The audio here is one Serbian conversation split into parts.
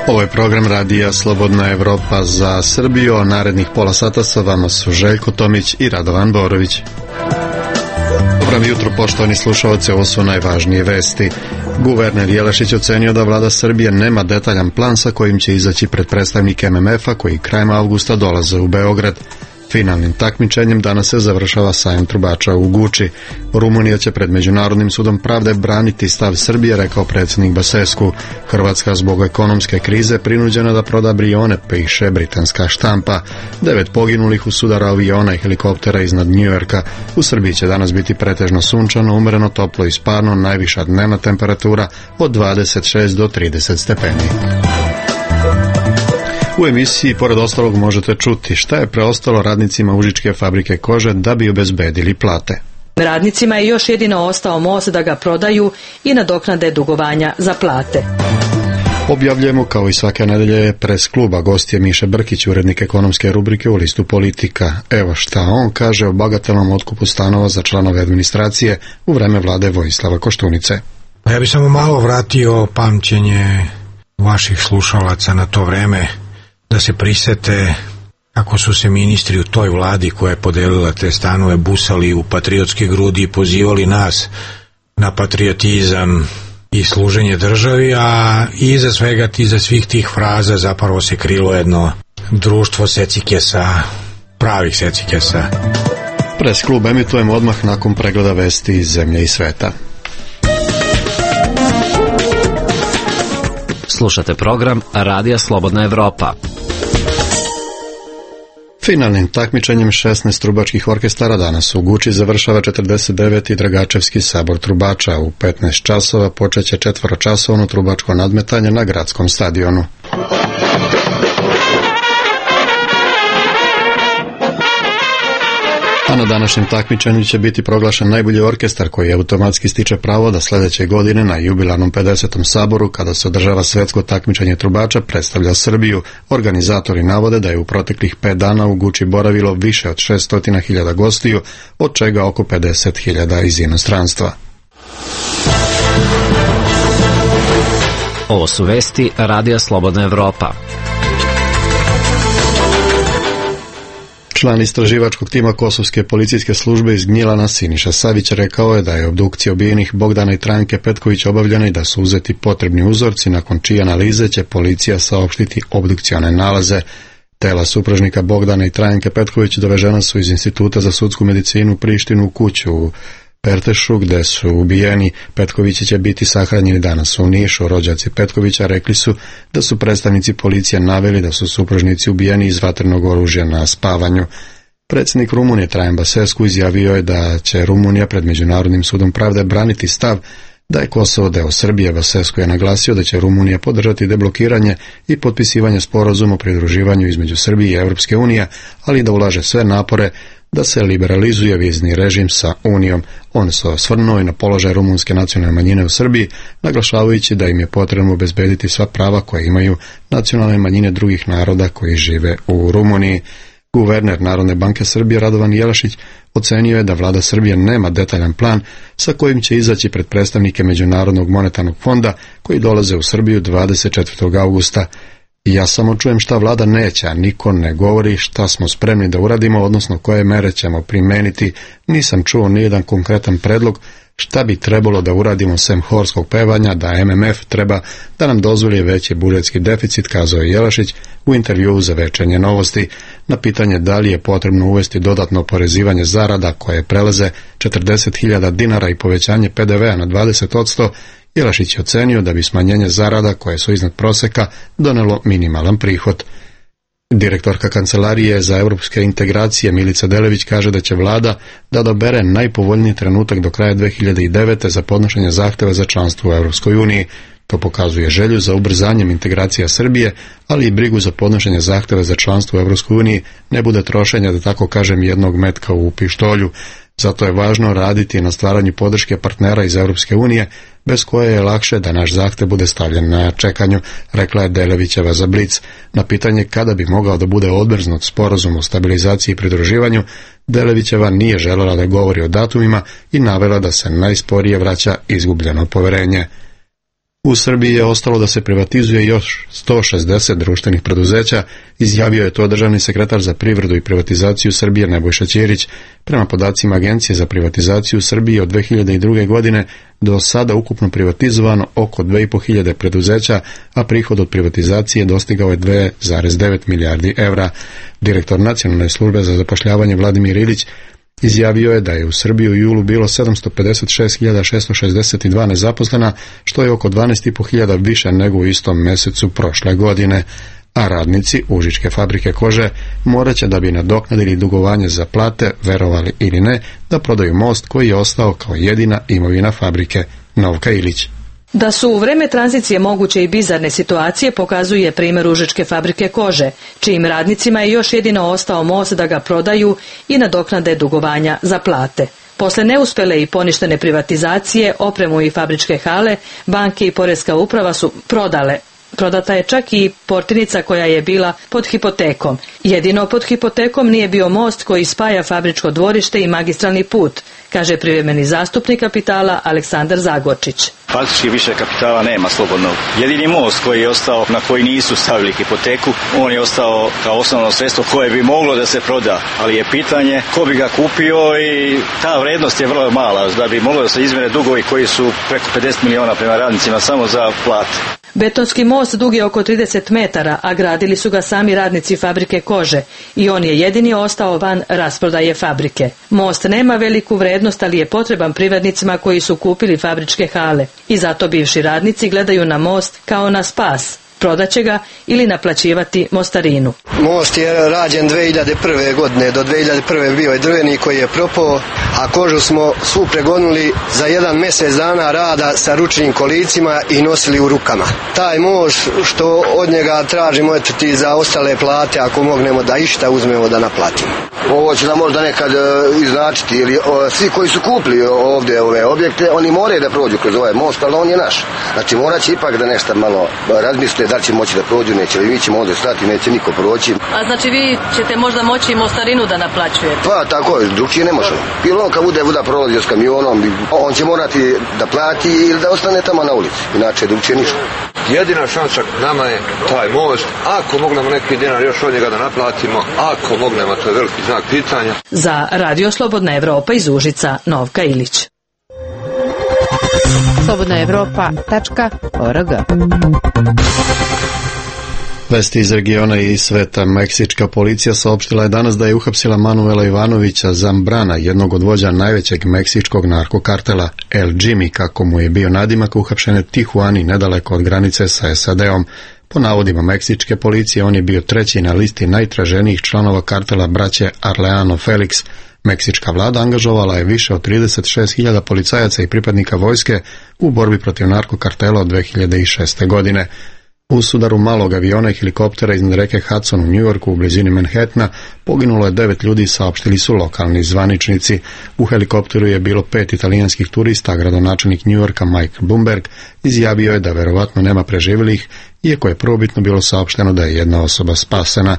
Ovo je program radija Slobodna Evropa za Srbiju, a narednih pola sata sa vama su Željko Tomić i Radovan Borović. Dobro jutro, poštovani slušalci, ovo su najvažnije vesti. Guverner Jelešić ocenio da vlada Srbije nema detaljan plan sa kojim će izaći pred predstavnike MMF-a koji krajem avgusta dolaze u Beograd. Finalnim takmičenjem danas se završava sajam trubača u Guči. Rumunija će pred Međunarodnim sudom pravde braniti stav Srbije, rekao predsjednik Basescu. Hrvatska zbog ekonomske krize prinuđena da proda Brione, piše britanska štampa. 9 poginulih u sudaru aviona i helikoptera iznad Njujorka. U Srbiji će danas biti pretežno sunčano, umereno toplo i sparno, najviša dnevna temperatura od 26 do 30 stepeni. U emisiji, pored ostalog, možete čuti šta je preostalo radnicima Užičke fabrike kože da bi obezbedili plate. Radnicima je još jedino ostao most da ga prodaju i nadoknade dugovanja za plate. Objavljujemo kao i svake nedelje pres kluba. Gost je Miša Brkić, urednik ekonomske rubrike u listu Politika. Evo šta on kaže o bagatelnom otkupu stanova za članove administracije u vreme vlade Vojislava Koštunice. Ja bih samo malo vratio pamćenje vaših slušalaca na to vreme, da se prisete kako su se ministri u toj vladi koja je podelila te stanove busali u patriotske grudi i pozivali nas na patriotizam i služenje državi, a iza svega, iza svih tih fraza zapravo se krilo jedno društvo secikesa, pravih secikesa. Pres klub emitujemo odmah nakon pregleda vesti iz zemlje i sveta. Slušate program Radija Slobodna Evropa. Finalnim takmičenjem 16 trubačkih orkestara danas u Guči završava 49. Dragačevski sabor trubača. U 15 časova počeće 4-časovno trubačko nadmetanje na gradskom stadionu. A na današnjem takmičenju će biti proglašen najbolji orkestar koji automatski stiče pravo da sljedeće godine na jubilarnom 50. saboru, kada se održava svetsko takmičenje trubača, predstavlja Srbiju. Organizatori navode da je u proteklih 5 dana u Guči boravilo više od 600.000 gostiju, od čega oko 50.000 iz inostranstva. Ovo su vesti Radija Slobodna Evropa. Član istraživačkog tima Kosovske policijske službe iz Gnjilana Siniša Savić rekao je da je obdukcija ubijenih Bogdana i Trajnke Petković obavljena i da su uzeti potrebni uzorci, nakon čije analize će policija saopštiti obdukcione nalaze. Tela supružnika Bogdana i Trajnke Petković dovežena su iz Instituta za sudsku medicinu u Prištinu u kuću u Pertešu, gde su ubijeni. Petkovići će biti sahranjeni danas u Nišu. Rođaci Petkovića rekli su da su predstavnici policije naveli da su supružnici ubijeni iz vatrenog oružja na spavanju. Predsjednik Rumunije Traian Basescu izjavio je da će Rumunija pred Međunarodnim sudom pravde braniti stav da je Kosovo deo Srbije. Basescu je naglasio da će Rumunija podržati deblokiranje i potpisivanje sporazuma o pridruživanju između Srbije i Europske unije, ali da ulaže sve napore da se liberalizuje vizni režim sa Unijom. On se osvrnuo i na položaj rumunske nacionalne manjine u Srbiji, naglašavajući da im je potrebno obezbediti sva prava koje imaju nacionalne manjine drugih naroda koji žive u Rumuniji. Guverner Narodne banke Srbije Radovan Jelešić ocenio je da vlada Srbije nema detaljan plan sa kojim će izaći pred predstavnike Međunarodnog monetarnog fonda koji dolaze u Srbiju 24. augusta. Ja samo čujem šta vlada neće, a niko ne govori šta smo spremni da uradimo, odnosno koje mere ćemo primeniti. Nisam čuo nijedan konkretan predlog šta bi trebalo da uradimo sem horskog pevanja, da MMF treba da nam dozvoli veći budžetski deficit, kazao je Jelešić u intervjuu za Večernje novosti. Na pitanje da li je potrebno uvesti dodatno oporezivanje zarada koje prelaze 40.000 dinara i povećanje PDV-a na 20%, Jelešić je ocenio da bi smanjenje zarada koje su iznad proseka donelo minimalan prihod. Direktorka Kancelarije za europske integracije Milica Delević kaže da će vlada da odabere najpovoljniji trenutak do kraja 2009. za podnošenje zahteva za članstvo u Europskoj uniji. To pokazuje želju za ubrzanjem integracija Srbije, ali i brigu za podnošenje zahteva za članstvo u Europskoj uniji ne bude trošenja, da tako kažem, jednog metka u pištolju. Zato je važno raditi na stvaranju podrške partnera iz Europske unije, bez koje je lakše da naš zahtev bude stavljen na čekanju, rekla je Delevićeva za Blic. Na pitanje kada bi mogao da bude odmrznut sporazum o stabilizaciji i pridruživanju, Delevićeva nije željela da govori o datumima i navela da se najsporije vraća izgubljeno poverenje. U Srbiji je ostalo da se privatizuje još 160 društvenih preduzeća, izjavio je to državni sekretar za privredu i privatizaciju Srbije Nebojša Ćirić. Prema podacima Agencije za privatizaciju Srbije od 2002. godine do sada ukupno privatizovano oko 2.500 preduzeća, a prihod od privatizacije dostigao je 2,9 milijardi evra. Direktor Nacionalne službe za zapošljavanje Vladimir Ilić izjavio je da je u Srbiji u julu bilo 756.662 nezaposlena, što je oko 12.500 više nego u istom mesecu prošle godine, a radnici Užičke fabrike kože morat će, da bi nadoknadili dugovanje za plate, verovali ili ne, da prodaju most koji je ostao kao jedina imovina fabrike. Novka Ilić. Da su u vreme tranzicije moguće i bizarne situacije pokazuje primjer Užičke fabrike kože, čijim radnicima je još jedino ostao most da ga prodaju i nadoknade dugovanja za plate. Posle neuspele i poništene privatizacije, opremu i fabričke hale, banke i poreska uprava su prodale. Prodata je čak i portirnica koja je bila pod hipotekom. Jedino pod hipotekom nije bio most koji spaja fabričko dvorište i magistralni put, kaže privremeni zastupnik Kapitala Aleksandar Zagorčić. Faktički više kapitala nema slobodnog. Jedini most koji je ostao, na koji nisu stavili hipoteku, on je ostao kao osnovno sredstvo koje bi moglo da se proda, ali je pitanje ko bi ga kupio i ta vrednost je vrlo mala, da bi moglo da se izmjere dugovi koji su preko 50 miliona prema radnicima samo za plate. Betonski most dug je oko 30 metara, a gradili su ga sami radnici fabrike kože i on je jedini ostao van rasprodaje fabrike. Most nema veliku vrednost, ali je potreban privrednicima koji su kupili fabričke hale i zato bivši radnici gledaju na most kao na spas. Prodaće ga ili naplaćivati mostarinu. Most je rađen 2001. godine, do 2001. bio je drveni koji je propao, a kožu smo svu pregonuli za jedan mjesec dana rada sa ručnim kolicima i nosili u rukama. Taj most što od njega tražimo ti za ostale plate, ako mognemo da išta uzmemo da naplatimo. Ovo će nam možda nekad iznačiti, ili svi koji su kupili ovdje ove objekte, oni moraju da prođu kroz ovaj most, ali on je naš. Znači morat će ipak da nešto malo razmisle da li će moći da prođu, neće, mi ćemo ovdje stati, neće niko proći. A znači vi ćete možda moći i mostarinu da naplaćujete? Pa tako je, drugčije ne možemo. Ili on kad bude prolazio s kamionom, on će morati da plati ili da ostane tamo na ulici, inače drugčije ništa. Jedina šansa nama je taj most, ako mognemo neki dinar još od njega da naplatimo, ako mognemo, to je veliki znak pitanja. Za Radio Slobodna Evropa iz Užica, Novka Ilić. slobodnaevropa.org. Vesti iz regiona i sveta. Meksička policija saopštila je danas da je uhapsila Manuela Ivanovića Zambrana, jednog od vođa najvećeg meksičkog narkokartela El Jimmy, kako mu je bio nadimak, uhapšen u Tijuani, nedaleko od granice sa SAD-om. Po navodima meksičke policije, on je bio treći na listi najtraženijih članova kartela braće Arellano Felix. Meksička vlada angažovala je više od 36.000 policajaca i pripadnika vojske u borbi protiv narkokartela od 2006. godine. U sudaru malog aviona i helikoptera iznad reke Hudson u Njujorku u blizini Manhattana poginulo je 9 ljudi, saopštili su lokalni zvaničnici. U helikopteru je bilo 5 italijanskih turista, a gradonačelnik Njujorka Mike Bloomberg izjavio je da verovatno nema preživjelih, iako je prvobitno bilo saopšteno da je jedna osoba spasena.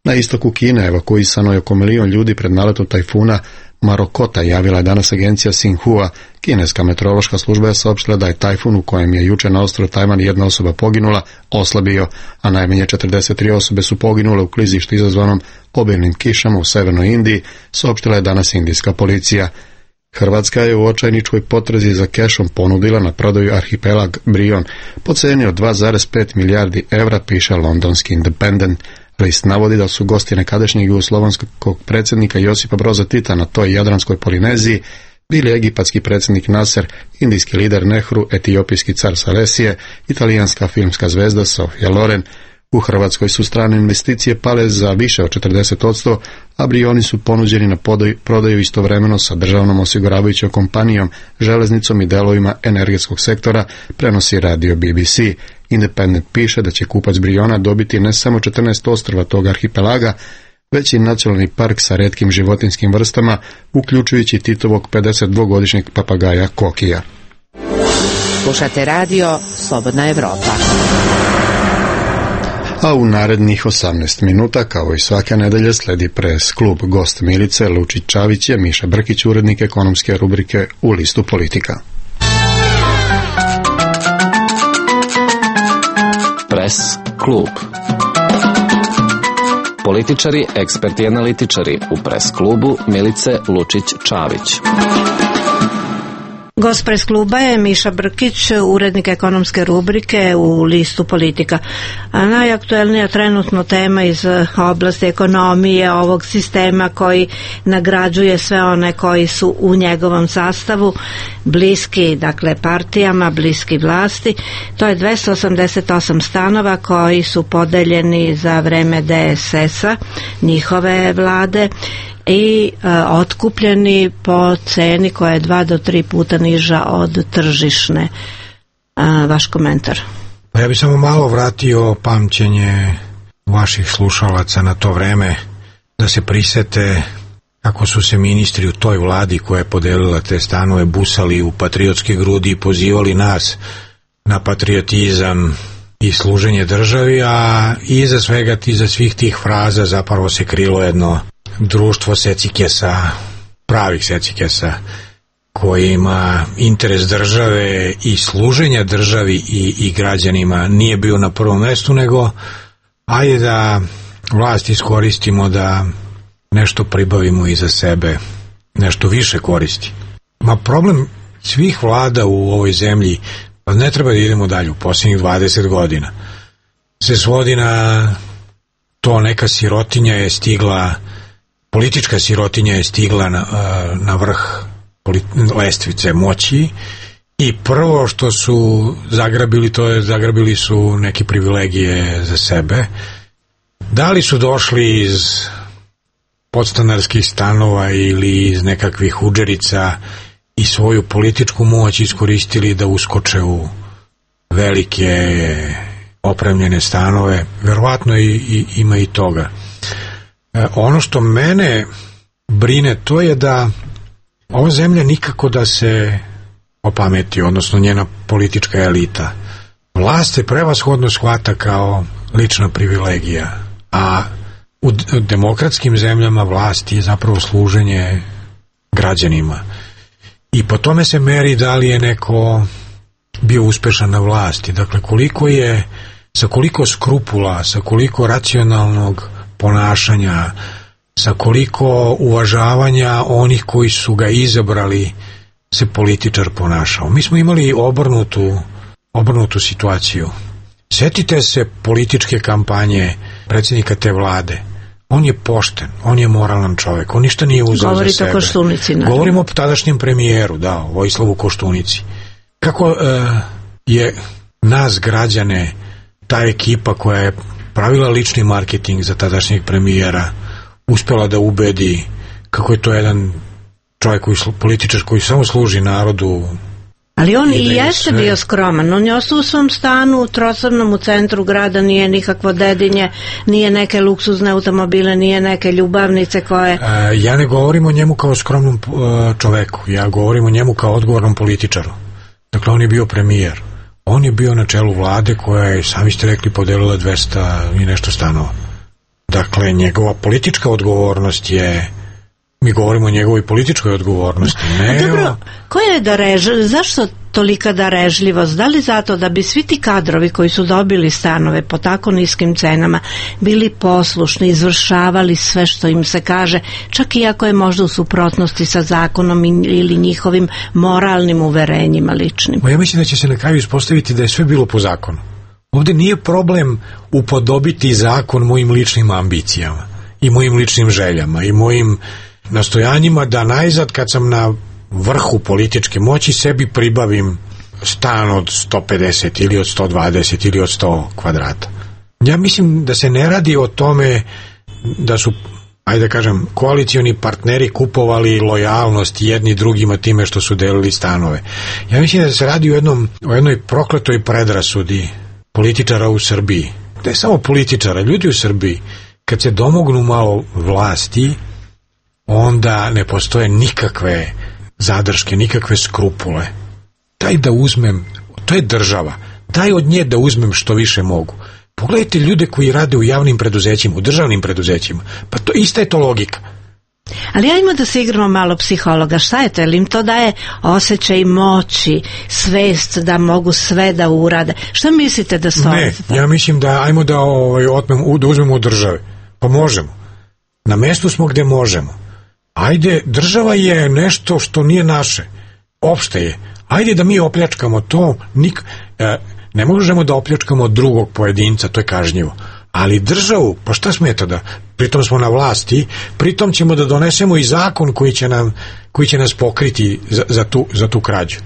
Na istoku Kine evakuisano je oko 1 milion ljudi pred naletom tajfuna Marokota, javila je danas agencija Xinhua. Kineska meteorološka služba je saopštila da je tajfun, u kojem je juče na ostrvu Tajvan jedna osoba poginula, oslabio, a najmanje 43 osobe su poginule u klizištu izazvanom obilnim kišama u severnoj Indiji, saopštila je danas indijska policija. Hrvatska je u očajničkoj potrazi za kešom ponudila na prodaju arhipelag Brion po ceni od 2,5 milijardi evra, piše londonski Independent. List navodi da su gosti nekadašnjeg jugoslovanskog predsjednika Josipa Broza Tita na toj jadranskoj Polineziji bili egipatski predsjednik Nasser, indijski lider Nehru, etiopijski car Salesije, italijanska filmska zvezda Sofia Loren. U Hrvatskoj su strane investicije pale za više od 40%, a Brioni su ponuđeni na prodaju istovremeno sa državnom osiguravajućom kompanijom, železnicom i delovima energetskog sektora, prenosi radio BBC. Independent piše da će kupac Briona dobiti ne samo 14 ostrva tog arhipelaga, već i nacionalni park sa retkim životinjskim vrstama, uključujući Titovog 52-godišnjeg papagaja Kokija. Slušate radio Slobodna Evropa. A u narednih 18 minuta, kao i svake nedelje, sledi pres klub. Gost Milice Lučić-Čavić je Miša Brkić, urednik ekonomske rubrike u listu Politika. Pres klub. Političari, eksperti i analitičari u pres klubu Milice Lučić-Čavić. Gost pres kluba je Miša Brkić, urednik ekonomske rubrike u listu Politika. A najaktuelnija trenutno tema iz oblasti ekonomije, ovog sistema koji nagrađuje sve one koji su u njegovom sastavu bliski, dakle partijama, bliski vlasti. To je 288 stanova koji su podeljeni za vreme DSS-a, njihove vlade, i otkupljeni po ceni koja je 2 do 3 puta niža od tržišne. Vaš komentar? Pa ja bih samo malo vratio pamćenje vaših slušalaca na to vreme, da se prisete kako su se ministri u toj vladi koja je podelila te stanove busali u patriotske grudi i pozivali nas na patriotizam i služenje državi, a iza svega, iza svih tih fraza zapravo se krilo jedno društvo secikesa, pravih secikesa, koji ima interes države i služenja državi i građanima nije bio na prvom mestu, nego ajde da vlast iskoristimo da nešto pribavimo iza sebe, nešto više koristi. Ma problem svih vlada u ovoj zemlji, pa ne treba da idemo dalje, u posljednjih 20 godina se svodi na to, neka sirotinja je stigla, politička sirotinja je stigla na vrh lestvice moći i prvo što su zagrabili, to je zagrabili su neke privilegije za sebe. Da li su došli iz podstanarskih stanova ili iz nekakvih udžerica i svoju političku moć iskoristili da uskoče u velike opremljene stanove, verovatno ima i toga. Ono što mene brine, to je da ova zemlja nikako da se opameti, odnosno njena politička elita. Vlast se prevashodno shvata kao lična privilegija, a u demokratskim zemljama vlast je zapravo služenje građanima. I po tome se meri da li je neko bio uspešan na vlasti. Dakle, koliko je, sa koliko skrupula, sa koliko racionalnog ponašanja, sa koliko uvažavanja onih koji su ga izabrali se političar ponašao. Mi smo imali obrnutu situaciju. Sjetite se političke kampanje predsjednika te vlade. On je pošten, on je moralan čovjek, on ništa nije uzeo za sebe. Govorite o Koštunici. Govorimo o tadašnjem premijeru, da, Vojislavu Koštunici. Kako je nas građane, ta ekipa koja je pravila lični marketing za tadašnjeg premijera, uspjela da ubedi kako je to jedan čovjek, političar koji samo služi narodu. Ali on i jeste bio skroman. On je ostao u svom stanu u Trosornom u centru grada, nije nikakvo dedinje, nije neke luksuzne automobile, nije neke ljubavnice koje... Ja ne govorim o njemu kao skromnom čoveku, ja govorim o njemu kao odgovornom političaru. Dakle, on je bio premijer. On je bio na čelu vlade koja je, sami ste rekli, podelila 200 i nešto stanova. Dakle, njegova politička odgovornost je... Mi govorimo o njegovoj političkoj odgovornosti. Dobro, zašto tolika darežljivost? Da li zato da bi svi ti kadrovi koji su dobili stanove po tako niskim cenama bili poslušni, izvršavali sve što im se kaže, čak i ako je možda u suprotnosti sa zakonom ili njihovim moralnim uverenjima ličnim? Ja mislim da će se na kraju ispostaviti da je sve bilo po zakonu. Ovdje nije problem upodobiti zakon mojim ličnim ambicijama i mojim ličnim željama i mojim nastojanjima da najzad, kad sam na vrhu političke moći, sebi pribavim stan od 150 ili od 120 ili od 100 kvadrata. Ja mislim da se ne radi o tome da su, ajde da kažem, koalicioni partneri kupovali lojalnost jedni drugima time što su delili stanove. Ja mislim da se radi o jednoj prokletoj predrasudi političara u Srbiji. Da je samo političara, ljudi u Srbiji kad se domognu malo vlasti, onda ne postoje nikakve zadrške, nikakve skrupule. Daj da uzmem, to je država, daj od nje da uzmem što više mogu. Pogledajte ljude koji rade u javnim preduzećima, u državnim preduzećima, pa to ista je to logika. Ali ajmo da se igramo malo psihologa. Šta je to? Jer im to daje osjećaj moći, svest da mogu sve da urade. Šta mislite da stoji? Ne, ja mislim da ajmo da uzmemo od države. Pa možemo. Na mestu smo gde možemo. Ajde, država je nešto što nije naše. Opšte je. Ajde da mi opljačkamo to. Ne možemo da opljačkamo drugog pojedinca, to je kažnjivo. Ali državu, pa šta smeta da pritom smo na vlasti, pritom ćemo da donesemo i zakon koji će nas pokriti za tu krađu.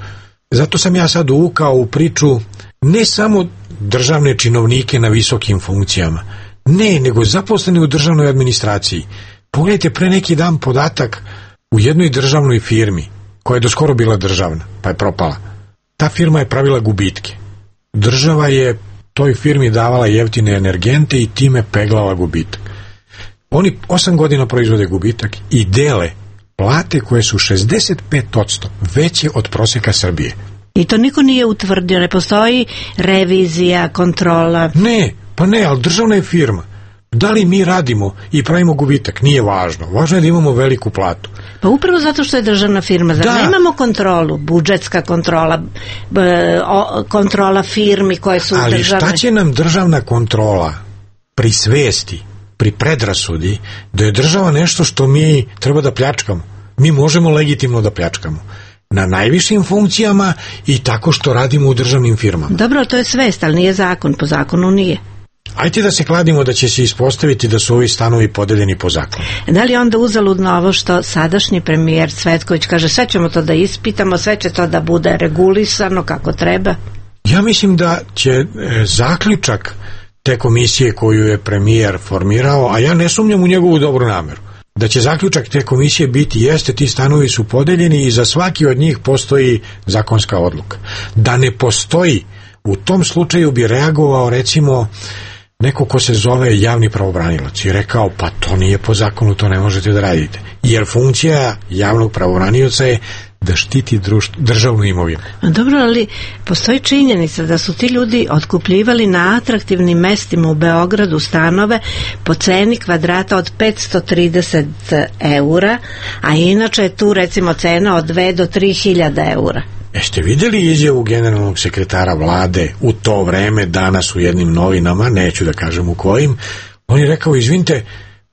Zato sam ja sad uvukao u priču ne samo državne činovnike na visokim funkcijama, ne, nego zaposleni u državnoj administraciji. Pogledajte pre neki dan podatak u jednoj državnoj firmi koja je doskoro bila državna, pa je propala. Ta firma je pravila gubitke. Država je toj firmi davala jeftine energente i time peglala gubitak. Oni 8 godina proizvode gubitak i dele plate koje su 65% veće od proseka Srbije. I to niko nije utvrdio, ne postoji revizija, kontrola. Ne, ali državna je firma. Da li mi radimo i pravimo gubitak, nije važno. Važno je da imamo veliku platu. Pa upravo zato što je državna firma. Zar ne imamo kontrolu, budžetska kontrola, kontrola firmi koje su ali državne? Ali šta će nam državna kontrola pri svesti, pri predrasudi, da je država nešto što mi treba da pljačkamo? Mi možemo legitimno da pljačkamo. Na najvišim funkcijama i tako što radimo u državnim firmama. Dobro, to je svest, ali nije zakon. Po zakonu nije. Ajde da se kladimo da će se ispostaviti da su ovi stanovi podeljeni po zakonu. Da li onda uzaludno ovo što sadašnji premijer Cvetković kaže sve ćemo to da ispitamo, sve će to da bude regulisano kako treba? Ja mislim da će zaključak te komisije koju je premijer formirao, a ja ne sumnjam u njegovu dobru nameru, da će zaključak te komisije biti jeste ti stanovi su podeljeni i za svaki od njih postoji zakonska odluka. Da ne postoji, u tom slučaju bi reagovao recimo neko ko se zove javni pravobranilac i rekao pa to nije po zakonu, to ne možete da radite. Jer funkcija javnog pravobranioca je da štiti državnu imovinu. Dobro, ali postoji činjenica da su ti ljudi otkupljivali na atraktivnim mestima u Beogradu stanove po ceni kvadrata od 530 eura, a inače je tu recimo cena od 2 do 3.000 eura. Jeste vidjeli izjavu generalnog sekretara vlade u to vreme, danas u jednim novinama, neću da kažem u kojim, on je rekao, izvinite,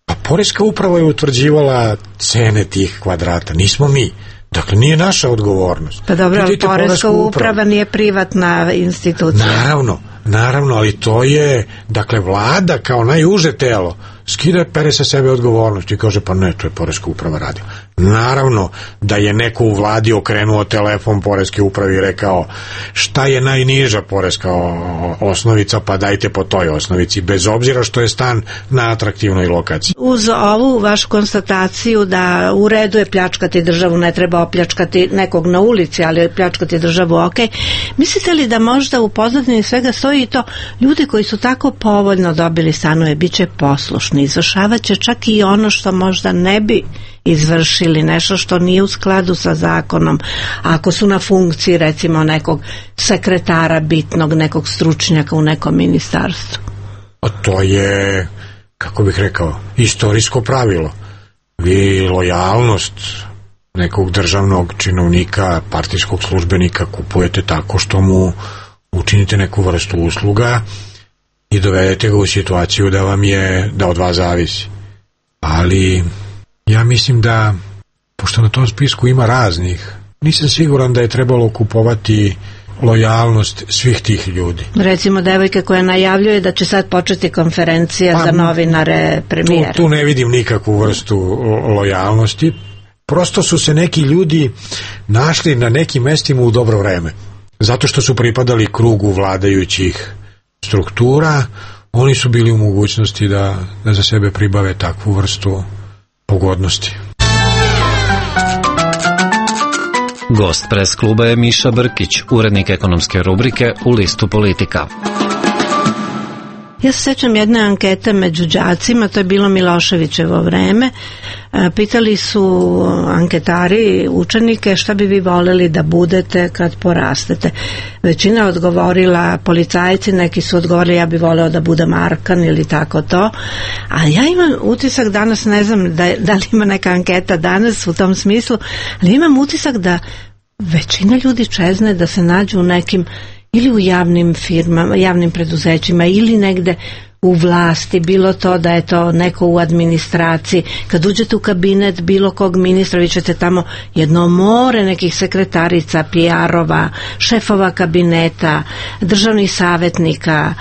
pa poreska uprava je utvrđivala cene tih kvadrata, nismo mi. Dakle, nije naša odgovornost. Pa dobro, ali poreska uprava nije privatna institucija. Naravno, ali to je, dakle, vlada kao najuže telo skida pere sa sebe odgovornost i kaže pa ne, to je poreska uprava radila. Naravno da je neko u vladi okrenuo telefon poreske upravi i rekao šta je najniža poreska osnovica, pa dajte po toj osnovici, bez obzira što je stan na atraktivnoj lokaciji. Uz ovu vašu konstataciju da u redu je pljačkati državu, ne treba opljačkati nekog na ulici, ali pljačkati državu ok. Mislite li da možda u pozadini svega stoji i to ljudi koji su tako povoljno dobili stanove bit će poslušni, izvršavat će čak i ono što možda ne bi izvršili, nešto što nije u skladu sa zakonom, ako su na funkciji recimo nekog sekretara bitnog, nekog stručnjaka u nekom ministarstvu? A to je, kako bih rekao, istorijsko pravilo. Vi lojalnost nekog državnog činovnika, partijskog službenika kupujete tako što mu učinite neku vrstu usluga i dovedete ga u situaciju da od vas zavisi. Ali ja mislim da, pošto na tom spisku ima raznih, nisam siguran da je trebalo kupovati lojalnost svih tih ljudi. Recimo devojke koja najavljuje da će sad početi konferencija za novinare premijera. Tu ne vidim nikakvu vrstu lojalnosti. Prosto su se neki ljudi našli na nekim mestima u dobro vreme. Zato što su pripadali krugu vladajućih struktura, oni su bili u mogućnosti da za sebe pribave takvu vrstu pogodnosti. Gost Pres kluba je Miša Brkić, urednik ekonomske rubrike u listu Politika. Ja se sećam jedne ankete među đacima, to je bilo Miloševićevo vreme. Pitali su anketari učenike šta bi vi voleli da budete kad porastete. Većina je odgovorila policajci, neki su odgovorili ja bi voleo da budem Arkan ili tako to. A ja imam utisak danas, ne znam da li ima neka anketa danas u tom smislu, ali imam utisak da većina ljudi čezne da se nađu u nekim ili u javnim firmama, javnim preduzećima ili negde u vlasti, bilo to da je to neko u administraciji. Kad uđete u kabinet bilo kog ministra, vi ćete tamo jedno more nekih sekretarica, PR-ova, šefova kabineta, državnih savjetnika,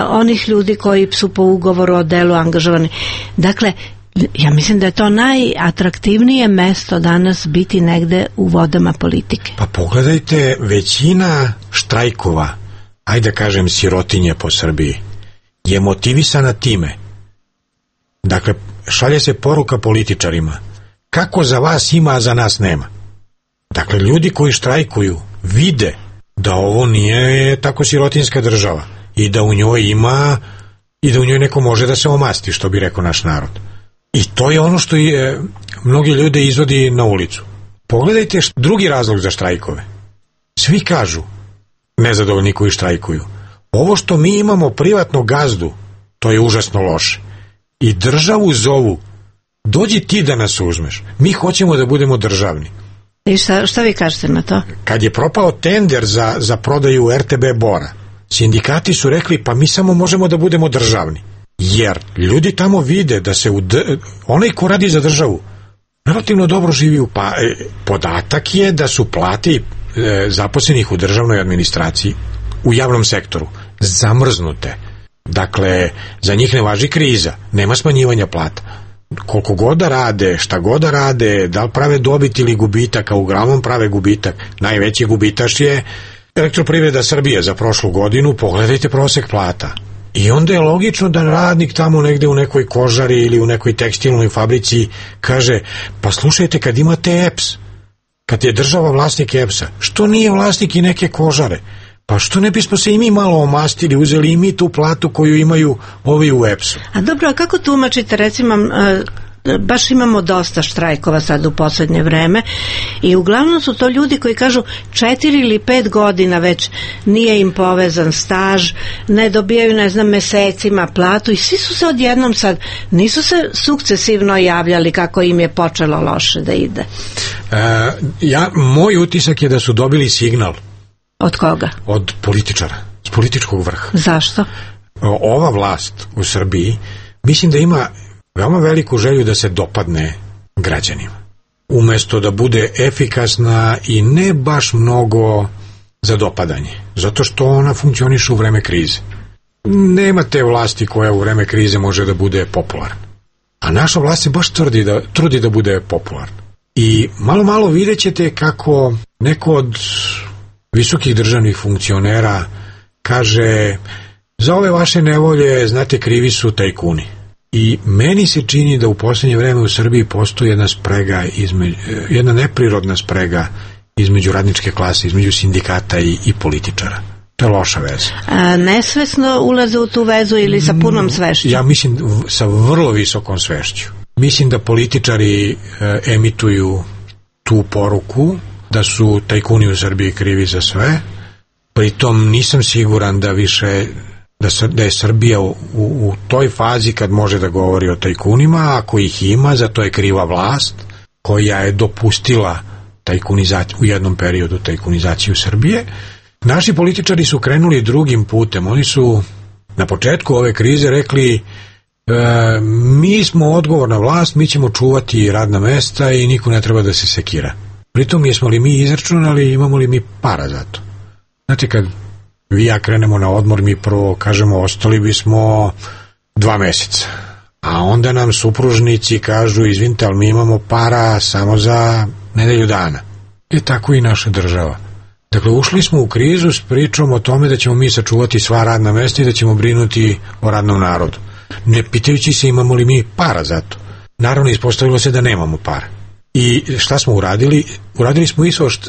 onih ljudi koji su po ugovoru o delu angažovani. Dakle, ja mislim da je to najatraktivnije mesto danas biti negde u vodama politike. Pa pogledajte, većina štrajkova, ajde kažem sirotinje po Srbiji, je motivisana time. Dakle, šalje se poruka političarima. Kako za vas ima, a za nas nema. Dakle, ljudi koji štrajkuju vide da ovo nije tako sirotinska država i da u njoj ima i da u njoj neko može da se omasti, što bi rekao naš narod. I to je ono što je mnogi ljude izvodi na ulicu. Pogledajte drugi razlog za štrajkove. Svi kažu, nezadovoljni koji štrajkuju, ovo što mi imamo privatnog gazdu, to je užasno loše. I državu zovu, dođi ti da nas uzmeš, mi hoćemo da budemo državni. I šta vi kažete na to? Kad je propao tender za prodaju RTB Bora, sindikati su rekli pa mi samo možemo da budemo državni. Jer ljudi tamo vide da se onaj ko radi za državu relativno dobro živi. Pa podatak je da su plate zaposlenih u državnoj administraciji, u javnom sektoru, zamrznute. Dakle, za njih ne važi kriza, nema smanjivanja plata. Koliko god da rade, šta god da rade, da li prave dobit ili gubitak, a uglavnom prave gubitak. Najveći gubitaš je Elektroprivreda Srbije za prošlu godinu, pogledajte prosek plata. I onda je logično da radnik tamo negde u nekoj kožari ili u nekoj tekstilnoj fabrici kaže, pa slušajte, kad imate EPS, kad je država vlasnik EPS-a, što nije vlasnik i neke kožare? Pa što ne bismo se i mi malo omastili, uzeli i mi tu platu koju imaju ovi u EPS-u? A dobro, a kako tumačite, recimo, baš imamo dosta štrajkova sad u poslednje vreme i uglavnom su to ljudi koji kažu 4 ili 5 godina već nije im povezan staž, ne dobijaju, ne znam, mesecima platu i svi su se odjednom sad, nisu se sukcesivno javljali kako im je počelo loše da ide. Moj utisak je da su dobili signal. Od koga? Od političara, s političkog vrha. Zašto? Ova vlast u Srbiji mislim da ima veoma veliku želju da se dopadne građanima. Umesto da bude efikasna i ne baš mnogo za dopadanje. Zato što ona funkcioniše u vreme krize. Nema te vlasti koja u vreme krize može da bude popularna. A naša vlast se baš trudi da bude popularna. I malo vidjet ćete kako neko od visokih državnih funkcionera kaže za ove vaše nevolje, znate, krivi su tajkuni. I meni se čini da u posljednje vreme u Srbiji postoji jedna sprega, jedna neprirodna sprega između radničke klase, između sindikata i političara. To je loša veza. Nesvesno ulaze u tu vezu ili sa punom svešću? Ja mislim sa vrlo visokom svešću. Mislim da političari emituju tu poruku da su tajkuni u Srbiji krivi za sve. Pritom nisam siguran da više da je Srbija u toj fazi kad može da govori o tajkunima, ako ih ima, za to je kriva vlast koja je dopustila tajkunizaciju, u jednom periodu tajkunizaciju Srbije. Naši političari su krenuli drugim putem. Oni su na početku ove krize rekli mi smo odgovorna vlast, mi ćemo čuvati radna mesta i niko ne treba da se sekira. Pritom jesmo li mi izračunali, imamo li mi para za to? Znate, kad vi ja krenemo na odmor, mi prvo kažemo ostali bismo 2 meseca. A onda nam supružnici kažu izvinite, ali mi imamo para samo za nedelju dana. I tako i naša država. Dakle, ušli smo u krizu s pričom o tome da ćemo mi sačuvati sva radna mesta i da ćemo brinuti o radnom narodu. Ne pitajući se imamo li mi para za to. Naravno, ispostavilo se da nemamo para. I šta smo uradili? Uradili smo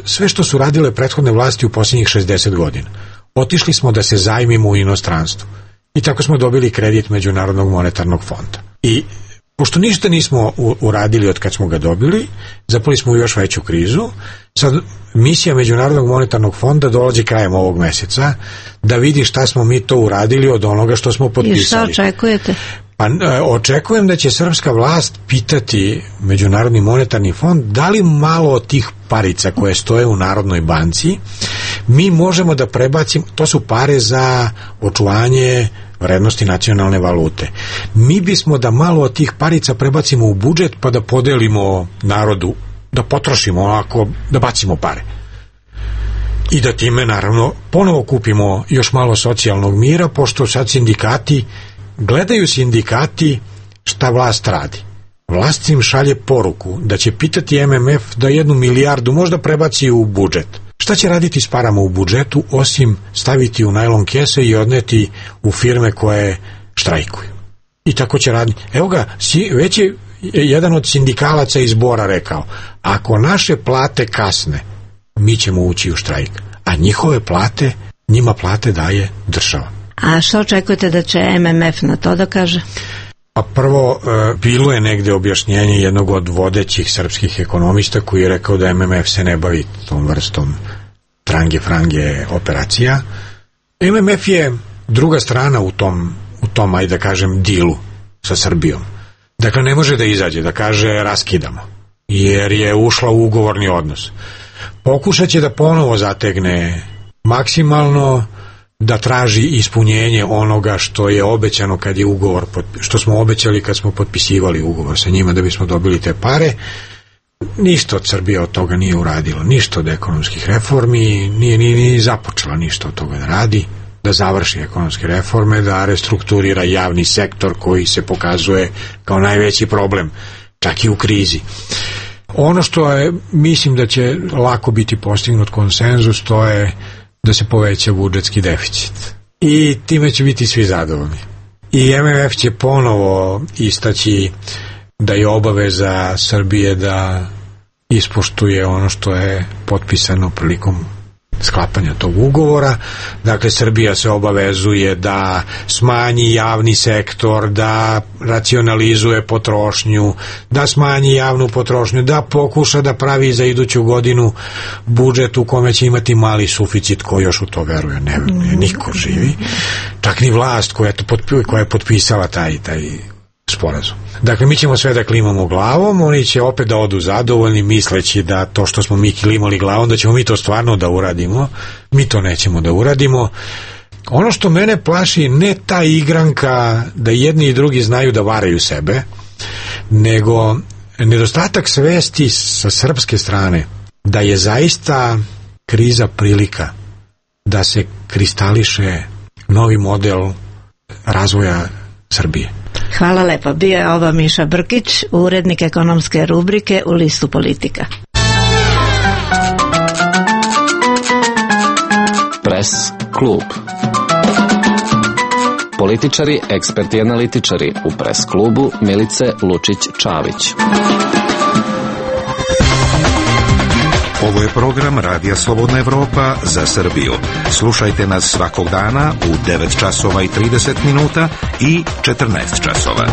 sve što su radile prethodne vlasti u posljednjih 60 godina. Otišli smo da se zajmimo u inostranstvu. I tako smo dobili kredit Međunarodnog monetarnog fonda. I pošto ništa nismo uradili od kad smo ga dobili, zapali smo u još veću krizu. Sad misija Međunarodnog monetarnog fonda dolazi krajem ovog meseca da vidi šta smo mi to uradili od onoga što smo potpisali. I šta očekujete? Pa, očekujem da će srpska vlast pitati Međunarodni monetarni fond da li malo od tih parica koje stoje u Narodnoj banci mi možemo da prebacimo, to su pare za očuvanje vrednosti nacionalne valute. Mi bismo da malo od tih parica prebacimo u budžet pa da podelimo narodu, da potrošimo onako, da bacimo pare. I da time naravno ponovo kupimo još malo socijalnog mira, pošto sad gledaju sindikati šta vlast radi. Vlast im šalje poruku da će pitati MMF da 1 milijardu možda prebaci u budžet. Šta će raditi s parama u budžetu osim staviti u najlon kese i odneti u firme koje štrajkuju? I tako će raditi. Evo ga, već je jedan od sindikalaca iz Bora rekao, ako naše plate kasne, mi ćemo ući u štrajk. A njima plate daje država. A što očekujete da će MMF na to da kaže? Pa prvo, bilo je negde objašnjenje jednog od vodećih srpskih ekonomista koji je rekao da MMF se ne bavi tom vrstom trange-frange operacija. MMF je druga strana u tom, ajde da kažem, dilu sa Srbijom. Dakle, ne može da izađe, da kaže raskidamo, jer je ušla u ugovorni odnos. Pokušat će da ponovo zategne maksimalno, da traži ispunjenje onoga što je obećano kad je ugovor, što smo obećali kad smo potpisivali ugovor sa njima da bismo dobili te pare. Ništa od Srbije od toga nije uradilo, ništa od ekonomskih reformi, nije ni započela ništa od toga da radi, da završi ekonomske reforme, da restrukturira javni sektor koji se pokazuje kao najveći problem, čak i u krizi. Ono što je, mislim da će lako biti postignut konsenzus, to je da se poveća budžetski deficit. I time će biti svi zadovoljni. I MMF će ponovo istaći da je obaveza Srbije da ispoštuje ono što je potpisano prilikom sklapanja tog ugovora. Dakle, Srbija se obavezuje da smanji javni sektor, da racionalizuje potrošnju, da smanji javnu potrošnju, da pokuša da pravi za iduću godinu budžet u kome će imati mali suficit, ko još u to veruje, ne niko živi, čak ni vlast koja je potpisala taj sporazum. Dakle, mi ćemo sve da klimamo glavom, oni će opet da odu zadovoljni misleći da to što smo mi klimali glavom, da ćemo mi to stvarno da uradimo. Mi to nećemo da uradimo. Ono što mene plaši, ne ta igranka da jedni i drugi znaju da varaju sebe, nego nedostatak svesti sa srpske strane da je zaista kriza prilika da se kristališe novi model razvoja Srbije. Hvala lepo. Bio je ovo Miša Brkić, urednik ekonomske rubrike u listu Politika. Press klub. Političari, eksperti i analitičari u Press klubu Milice Lučić-Čavić. Ovo je program Radija Slobodna Evropa za Srbiju. Slušajte nas svakog dana u 9 časova i 30 minuta i 14 časova.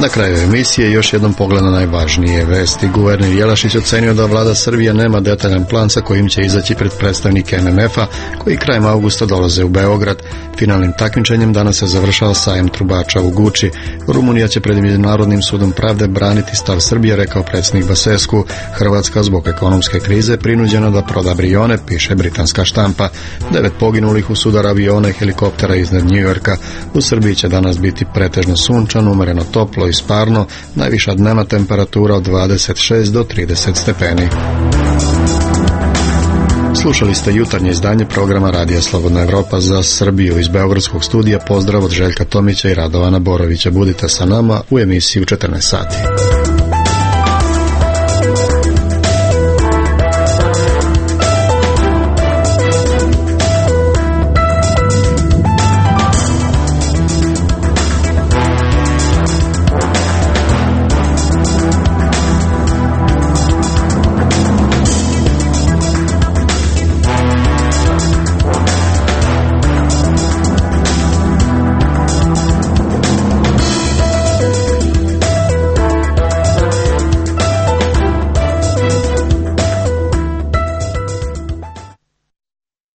Na kraju emisije još jednom pogled na najvažnije vesti. Guverner Jelašić ocenio da vlada Srbije nema detaljan plan sa kojim će izaći pred predstavnike MMF-a koji krajem avgusta dolaze u Beograd. Finalnim takmičenjem danas se završava sajam trubača u Guči. Rumunija će pred Međunarodnim sudom pravde braniti stav Srbije, rekao predsjednik Basescu. Hrvatska zbog ekonomske krize prinuđena da proda Brione, piše britanska štampa. 9 poginulih u sudar aviona i helikoptera iznad Njujorka. U Srbiji će danas biti pretežno sunčano, umereno toplo i sparno, najviša dnevna temperatura od 26 do 30 stepeni. Slušali ste jutarnje izdanje programa Radija Slobodna Evropa za Srbiju. Iz beogradskog studija pozdrav od Željka Tomića i Radovana Borovića. Budite sa nama u emisiji u 14 sati.